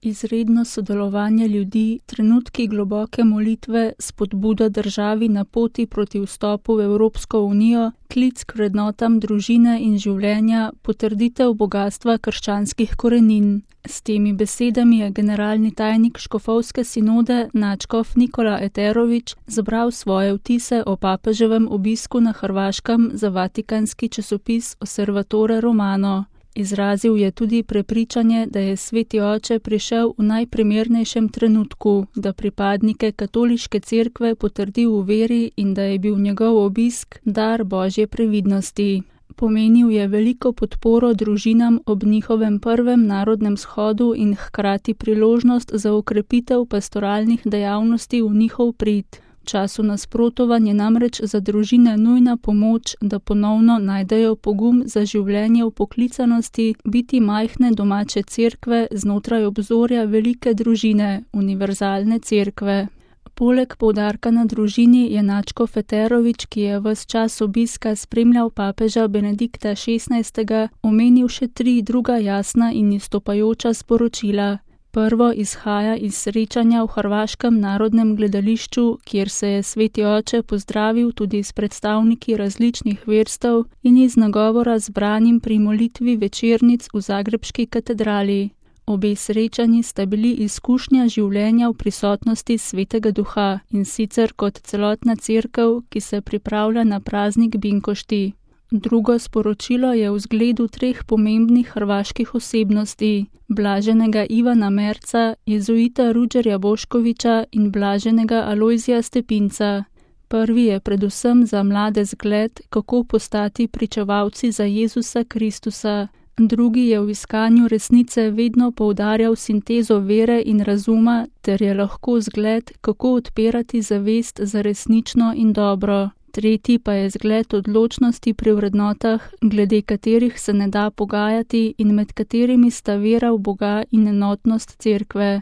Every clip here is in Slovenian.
Izredno sodelovanje ljudi, trenutki globoke molitve, spodbuda državi na poti proti vstopu v Evropsko unijo, klic k vrednotam družine in življenja, potrditev bogastva krščanskih korenin. S temi besedami je generalni tajnik škofovske sinode nadškof Nikola Eterović zbral svoje vtise o papeževem obisku na Hrvaškem za vatikanski časopis Osservatore Romano. Izrazil je tudi prepričanje, da je Sveti oče prišel v najprimernejšem trenutku, da pripadnike katoliške cerkve potrdi v veri in da je bil njegov obisk dar Božje previdnosti. Pomenil je veliko podporo družinam ob njihovem prvem narodnem shodu in hkrati priložnost za okrepitev pastoralnih dejavnosti v njihov prid. V času nasprotovanja namreč za družine nujna pomoč, da ponovno najdejo pogum za življenje v poklicanosti, biti majhne domače cerkve znotraj obzorja velike družine, univerzalne cerkve. Poleg poudarka na družini je nadškof Eterović, ki je ves čas obiska spremljal papeža Benedikta XVI., omenil še 3 druga jasna in izstopajoča sporočila. Prvo izhaja iz srečanja v Hrvaškem narodnem gledališču, kjer se je Sveti oče pozdravil tudi s predstavniki različnih verstev in iz nagovora zbranim pri molitvi večernic v zagrebški katedrali. Obe srečanji sta bili izkušnja življenja v prisotnosti Svetega Duha, in sicer kot celotna cerkev, ki se pripravlja na praznik Binkošti. Drugo sporočilo je v zgledu 3 pomembnih hrvaških osebnosti, blaženega Ivana Merca, jezuita Ruđerja Boškovića in blaženega Alojzija Stepinca. Prvi je predvsem za mlade zgled, kako postati pričevalci za Jezusa Kristusa. Drugi je v iskanju resnice vedno poudarjal sintezo vere in razuma ter je lahko zgled, kako odpirati zavest za resnično in dobro. Tretji pa je zgled odločnosti pri vrednotah, glede katerih se ne da pogajati in med katerimi sta vera v Boga in enotnost cerkve.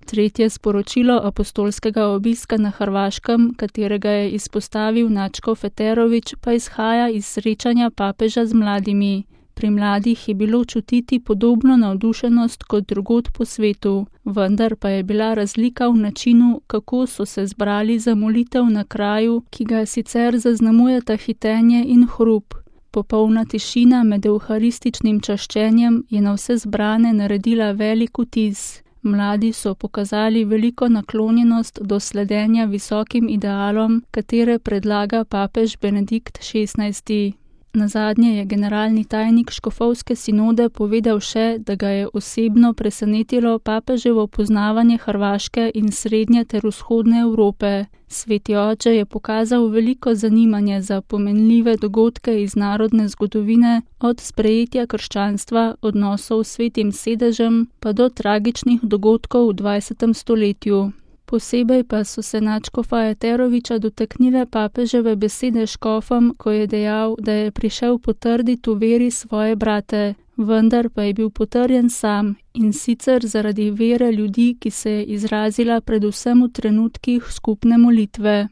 Tretje sporočilo apostolskega obiska na Hrvaškem, katerega je izpostavil nadškof Eterović, pa izhaja iz srečanja papeža z mladimi. Pri mladih je bilo čutiti podobno navdušenost kot drugod po svetu, vendar pa je bila razlika v načinu, kako so se zbrali za molitev na kraju, ki ga sicer zaznamujeta hitenje in hrup. Popolna tišina med evharističnim čaščenjem je na vse zbrane naredila velik vtis. Mladi so pokazali veliko naklonjenost do sledenja visokim idealom, katere predlaga papež Benedikt XVI. Nazadnje je generalni tajnik škofovske sinode povedal še, da ga je osebno presenetilo papeževo poznavanje Hrvaške in srednje ter vzhodne Evrope. Sveti oče je pokazal veliko zanimanje za pomenljive dogodke iz narodne zgodovine, od sprejetja krščanstva, odnosov s Svetim sedežem, pa do tragičnih dogodkov v 20. stoletju. Posebej pa so se nadškofa Eterovića dotaknile papeževe besede škofom, ko je dejal, da je prišel potrditi v veri svoje brate, vendar pa je bil potrjen sam, in sicer zaradi vere ljudi, ki se je izrazila predvsem v trenutkih skupne molitve.